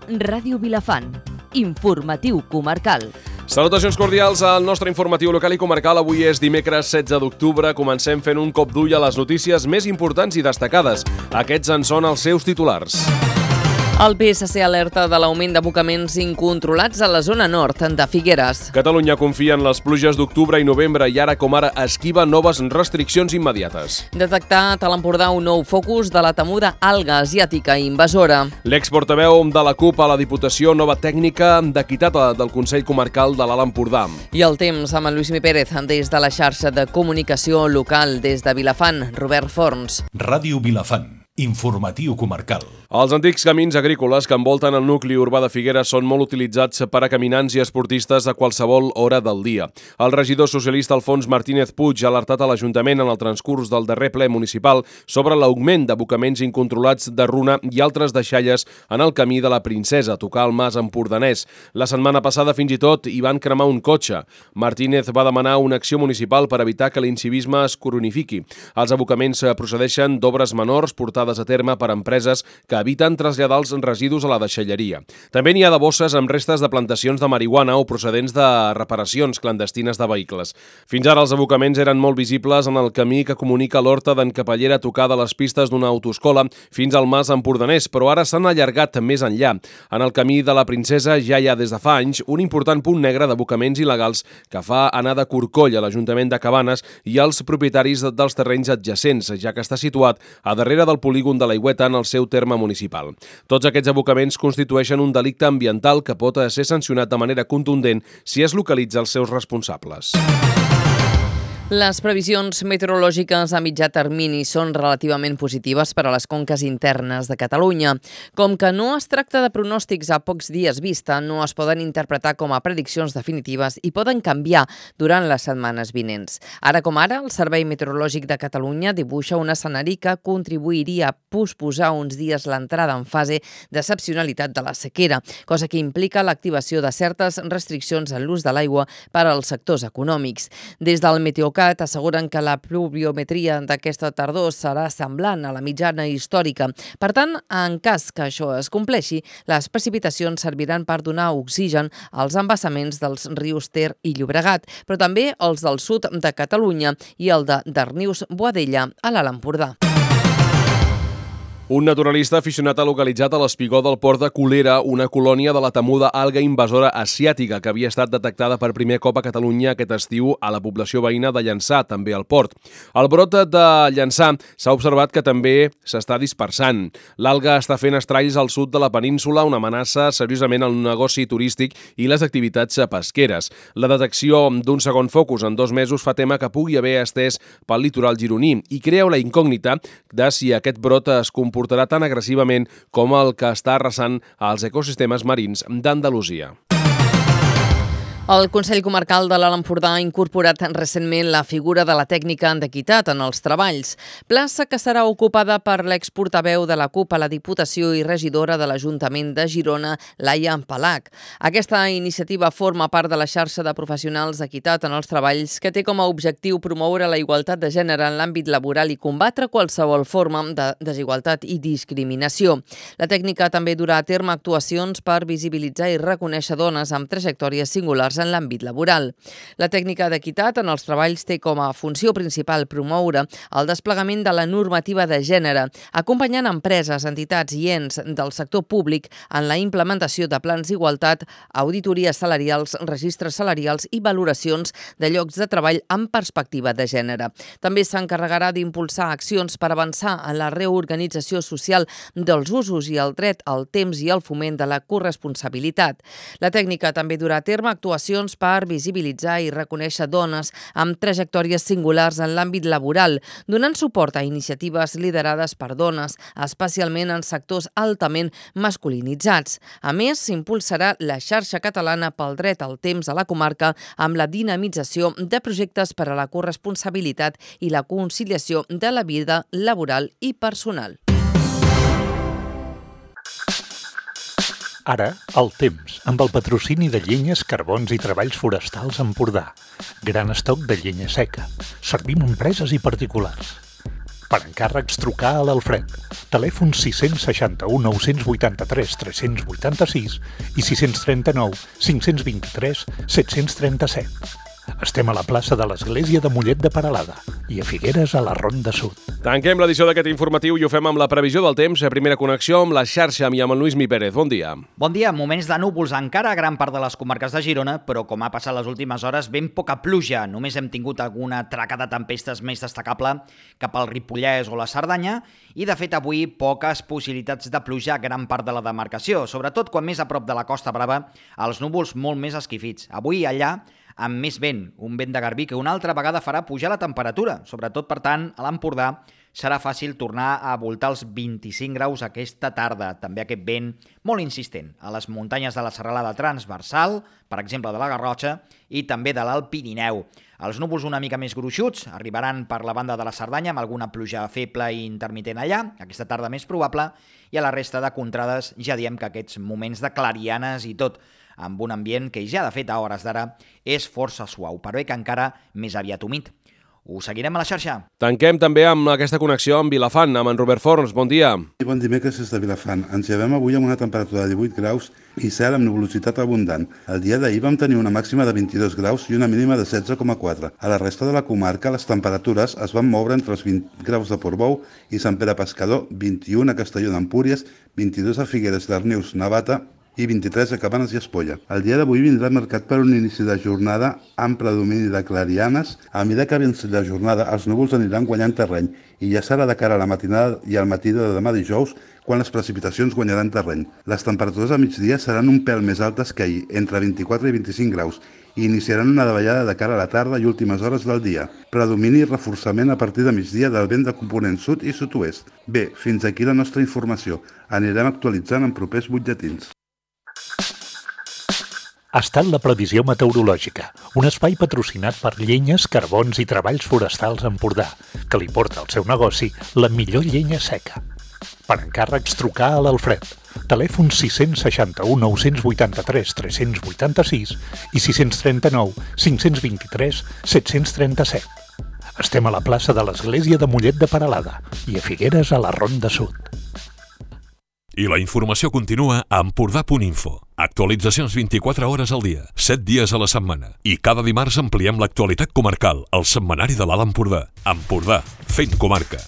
Ràdio Vilafant. Informatiu comarcal. Salutacions cordials al nostre informatiu local i comarcal. Avui és dimecres 16 d'octubre. Comencem fent un cop d'ull a les notícies més importants i destacades. Aquests en són els seus titulars. El PSC alerta de l'augment d'abocaments incontrolats a la zona nord de Figueres. Catalunya confia en les pluges d'octubre i novembre i ara com ara esquiva noves restriccions immediates. Detectat a l'Empordà un nou focus de la temuda alga asiàtica invasora. L'exportaveu de la CUP a la Diputació, nova tècnica d'equitat del Consell Comarcal de l'Alt Empordà. I el temps amb en Lluís Pérez des de la xarxa de comunicació local des de Vilafant, Robert Forns. Ràdio Vilafant. Informatiu comarcal. Els antics camins agrícoles que envolten el nucli urbà de Figueres són molt utilitzats per a caminants i esportistes a qualsevol hora del dia. El regidor socialista Alfons Martínez Puig ha alertat a l'Ajuntament en el transcurs del darrer ple municipal sobre l'augment d'abocaments incontrolats de runa i altres deixalles en el camí de la Princesa, a tocar el mas empordanès. La setmana passada fins i tot hi van cremar un cotxe. Martínez va demanar una acció municipal per evitar que l'incivisme es cronifiqui. Els abocaments procedeixen d'obres menors portades a terme per empreses que eviten traslladar els residus a la deixalleria. També n'hi ha de bosses amb restes de plantacions de marihuana o procedents de reparacions clandestines de vehicles. Fins ara els abocaments eren molt visibles en el camí que comunica l'Horta d'en Capellera a tocar de les pistes d'una autoescola fins al mas empordanès, però ara s'han allargat més enllà. En el camí de la Princesa ja hi ha des de fa anys un important punt negre d'abocaments il·legals que fa anar de corcoll a l'Ajuntament de Cabanes i als propietaris dels terrenys adjacents, ja que està situat a darrere del polígon de l'Aigüeta en el seu terme municipal. Tots aquests abocaments constitueixen un delicte ambiental que pot ser sancionat de manera contundent si es localitza els seus responsables. Les previsions meteorològiques a mitjà termini són relativament positives per a les conques internes de Catalunya. Com que no es tracta de pronòstics a pocs dies vista, no es poden interpretar com a prediccions definitives i poden canviar durant les setmanes vinents. Ara com ara, el Servei Meteorològic de Catalunya dibuixa un escenari que contribuiria a posposar uns dies l'entrada en fase d'excepcionalitat de la sequera, cosa que implica l'activació de certes restriccions en l'ús de l'aigua per als sectors econòmics. Des del Meteocat asseguren que la pluviometria d'aquesta tardor serà semblant a la mitjana històrica. Per tant, en cas que això es compleixi, les precipitacions serviran per donar oxigen als embassaments dels rius Ter i Llobregat, però també els del sud de Catalunya i el de Darnius-Boadella a l'Alt Empordà. Un naturalista aficionat ha localitzat a l'espigó del port de Colera una colònia de la temuda alga invasora asiàtica que havia estat detectada per primer cop a Catalunya aquest estiu a la població veïna de Llançà, també al port. El brot de Llançà s'ha observat que també s'està dispersant. L'alga està fent estralls al sud de la península, una amenaça seriosament al negoci turístic i les activitats pesqueres. La detecció d'un segon focus en 2 mesos fa tema que pugui haver estès pel litoral gironí i crea la incògnita de si aquest brot es comportarà tan agressivament com el que està arrasant als ecosistemes marins d'Andalusia. El Consell Comarcal de l'Alt Empordà ha incorporat recentment la figura de la tècnica d'equitat en els treballs, plaça que serà ocupada per l'exportaveu de la CUP a la Diputació i regidora de l'Ajuntament de Girona, Laia Palac. Aquesta iniciativa forma part de la xarxa de professionals d'equitat en els treballs que té com a objectiu promoure la igualtat de gènere en l'àmbit laboral i combatre qualsevol forma de desigualtat i discriminació. La tècnica també durà a terme actuacions per visibilitzar i reconèixer dones amb trajectòries singulars en l'àmbit laboral. La tècnica d'equitat en els treballs té com a funció principal promoure el desplegament de la normativa de gènere, acompanyant empreses, entitats i ens del sector públic en la implementació de plans d'igualtat, auditories salarials, registres salarials i valoracions de llocs de treball amb perspectiva de gènere. També s'encarregarà d'impulsar accions per avançar en la reorganització social dels usos i el dret al temps i el foment de la corresponsabilitat. La tècnica també durà a terme actuacions per visibilitzar i reconèixer dones amb trajectòries singulars en l'àmbit laboral, donant suport a iniciatives liderades per dones, especialment en sectors altament masculinitzats. A més, s'impulsarà la xarxa catalana pel dret al temps a la comarca amb la dinamització de projectes per a la corresponsabilitat i la conciliació de la vida laboral i personal. Ara, el temps, amb el patrocini de Llenyes, Carbons i Treballs Forestals Empordà. Gran estoc de llenya seca. Servim empreses i particulars. Per encàrrecs, trucar a l'Alfred. Telèfon 661 983 386 i 639 523 737. Estem a la plaça de l'Església de Mollet de Peralada i a Figueres, a la Ronda Sud. Tanquem l'edició d'aquest informatiu i ho fem amb la previsió del temps. Primera connexió amb la xarxa i amb el Lluís Mi Pérez. Bon dia. Bon dia. Moments de núvols encara a gran part de les comarques de Girona, però com ha passat les últimes hores, ben poca pluja. Només hem tingut alguna traca de tempestes més destacable cap al Ripollès o la Cerdanya i, de fet, avui poques possibilitats de pluja a gran part de la demarcació, sobretot quan més a prop de la Costa Brava, els núvols molt més esquifits. Avui allà amb més vent, un vent de garbí que una altra vegada farà pujar la temperatura. Sobretot, per tant, a l'Empordà serà fàcil tornar a voltar els 25 graus aquesta tarda. També aquest vent molt insistent a les muntanyes de la serralada transversal, per exemple de la Garrotxa, i també de l'Alt Pirineu. Els núvols una mica més gruixuts arribaran per la banda de la Cerdanya amb alguna pluja feble i intermitent allà, aquesta tarda més probable, i a la resta de contrades ja diem que aquests moments de clarianes i tot, amb un ambient que ja de fet a hores d'ara és força suau, però que encara més aviat humit. Ho seguirem a la xarxa. Tanquem també amb aquesta connexió amb Vilafant, amb en Robert Forns. Bon dia. Bon dimecres des de Vilafant. Ens llevem avui amb una temperatura de 18 graus i cel amb nuvolositat abundant. El dia d'ahir vam tenir una màxima de 22 graus i una mínima de 16,4. A la resta de la comarca les temperatures es van moure entre els 20 graus de Portbou i Sant Pere Pescador, 21 a Castelló d'Empúries, 22 a Figueres, Darnius, Navata i 23 a Cabanes i Espolla. El dia d'avui vindrà marcat per un inici de jornada amb predomini de clarianes. A mesura que avanci la jornada, els núvols aniran guanyant terreny i ja serà de cara a la matinada i al matí de demà dijous quan les precipitacions guanyaran terreny. Les temperatures a migdia seran un pèl més altes que ahir, entre 24 i 25 graus, i iniciaran una davallada de cara a la tarda i últimes hores del dia. Predomini i reforçament a partir de migdia del vent de component sud i sud-oest. Bé, fins aquí la nostra informació. Anirem actualitzant en propers butlletins. Ha estat la previsió meteorològica, un espai patrocinat per Llenyes, Carbons i Treballs Forestals Empordà, que li porta al seu negoci la millor llenya seca. Per encàrrecs, trucar a l'Alfred. Telèfon 661 983 386 i 639 523 737. Estem a la plaça de l'Església de Mollet de Peralada i a Figueres, a la Ronda Sud. I la informació continua a Empordà.info. Actualitzacions 24 hores al dia, 7 dies a la setmana. I cada dimarts ampliem l'actualitat comarcal, al setmanari de l'Alt Empordà. Empordà, fent comarca.